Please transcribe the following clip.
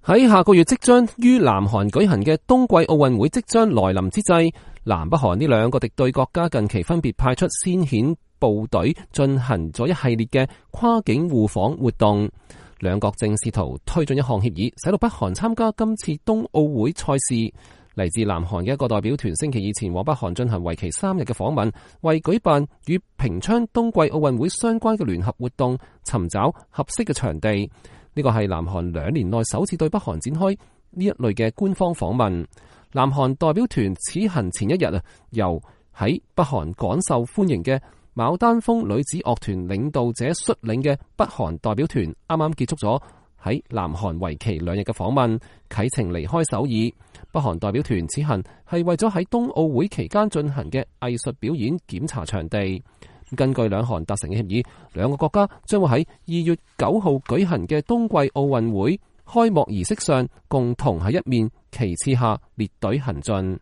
喺下個月即將於南韓舉行嘅冬季奧運會即將來臨之際，南北韓呢兩個敵對國家近期分別派出先遣部隊進行咗一系列嘅跨境互訪活動。兩國正試圖推進一項協議，使到北韓參加今次冬奧會賽事。嚟自南韓嘅一個代表團星期二前往北韓進行為期3日嘅訪問，為舉辦與平昌冬季奧運會相關嘅聯合活動尋找合適嘅場地。呢個係南韓2年內首次對北韓展開呢一類嘅官方訪問。南韓代表團此行前一日由喺北韓廣受歡迎嘅牡丹峰女子樂團領導者率領嘅北韓代表團啱啱結束咗喺南韓為期2日嘅訪問，啟程離開首爾。北韓代表團此行係為咗喺冬奧會期間進行嘅藝術表演檢查場地。根據兩韓達成嘅協議，兩個國家將會喺2月9號舉行嘅冬季奧運會開幕儀式上，共同喺一面旗幟下列隊行進。